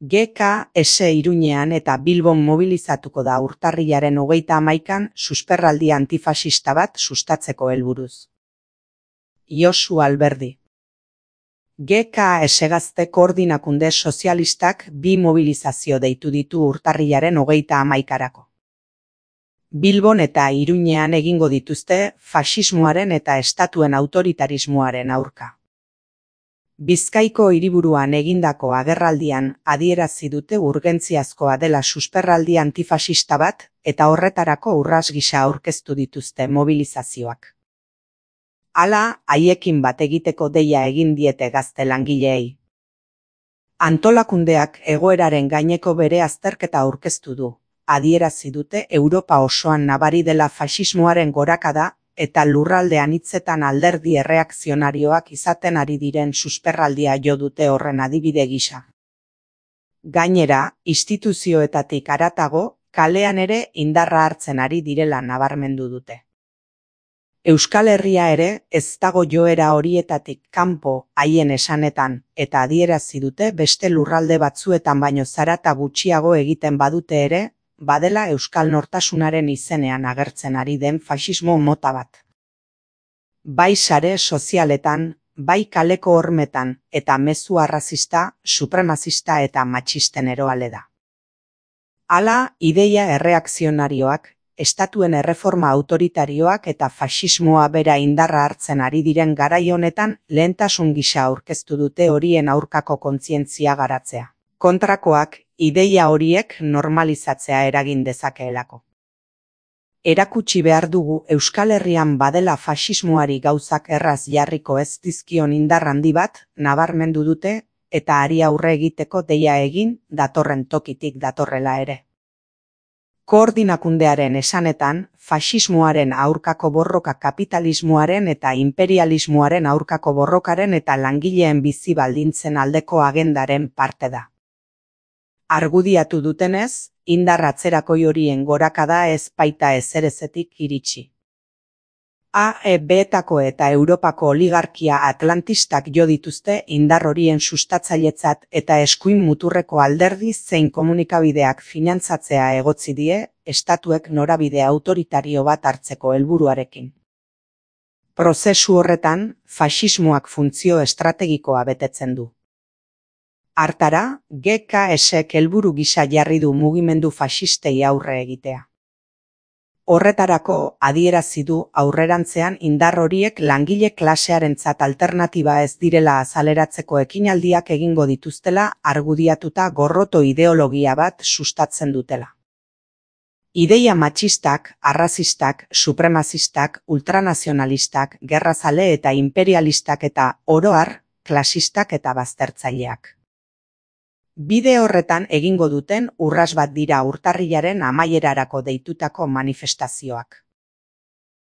GKS Iruñean eta Bilbon mobilizatuko da urtarrilaren 31an susperraldi antifasista bat sustatzeko helburuz. Josu Alberdi. GKS Gazte Koordinakunde Sozialistak bi mobilizazio deitu ditu urtarrilaren 31arako. Bilbon eta Iruñean egingo dituzte faxismoaren eta estatuen autoritarismoaren aurka. Bizkaiko hiriburuan egindako agerraldian adierazi dute urgentziazkoa dela susperraldi antifasista bat eta horretarako urras gisa aurkeztu dituzte mobilizazioak. Hala, haiekin bat egiteko deia egin diete gazte langileei. Antolakundeak egoeraren gaineko bere azterketa aurkeztu du. Adierazi dute Europa osoan nabari dela faxismoaren gorakada eta lurralde anitzetan alderdi erreakzionarioak izaten ari diren susperraldia jo dute horren adibide gisa. Gainera, instituzioetatik haratago, kalean ere indarra hartzen ari direla nabarmendu dute. Euskal Herria ere ez dago joera horietatik kanpo haien esanetan eta adierazi dute beste lurralde batzuetan baino zarata gutxiago egiten badute ere, badela euskal nortasunaren izenean agertzen ari den faxismo mota bat. Bai sare sozialetan, bai kaleko hormetan eta mezu arrazista, supremazista eta matxisten eroale da. Hala, ideia erreakzionarioak, estatuen erreforma autoritarioak eta faxismoa bera indarra hartzen ari diren garai honetan lehentasun gisa aurkeztu dute horien aurkako kontzientzia garatzea. Kontrakoak, ideia horiek normalizatzea eragin dezakeelako. Erakutsi behar dugu Euskal Herrian badela faxismoari gauzak erraz jarriko ez dizkion indar handi bat nabarmendu dute eta hari aurre egiteko deia egin datorren tokitik datorrela ere. Koordinakundearen esanetan, faxismoaren aurkako borroka kapitalismoaren eta imperialismoaren aurkako borrokaren eta langileen bizi baldintzen aldeko agendaren parte da. Argudiatu dutenez, indar atzerakoi horien gorakada ez baita ezerezetik iritsi. AEB-etako eta Europako oligarkia atlantistak jo dituzte indar horien sustatzailetzat eta eskuin muturreko alderdi zein komunikabideak finantzatzea egotzi die, estatuek norabide autoritario bat hartzeko helburuarekin. Prozesu horretan, faxismoak funtzio estrategikoa betetzen du. Hartara, GKSek helburu gisa jarri du mugimendu faxistei aurre egitea. Horretarako adierazi du aurrerantzean indar horiek langile klasearentzat alternatiba ez direla azaleratzeko ekinaldiak egingo dituztela argudiatuta gorroto ideologia bat sustatzen dutela. Ideia matxistak, arrazistak, supremazistak, ultranazionalistak, gerrazale eta imperialistak eta oro har, klasistak eta baztertzaileak. Bide horretan egingo duten urras bat dira urtarrilaren amaierarako deitutako manifestazioak.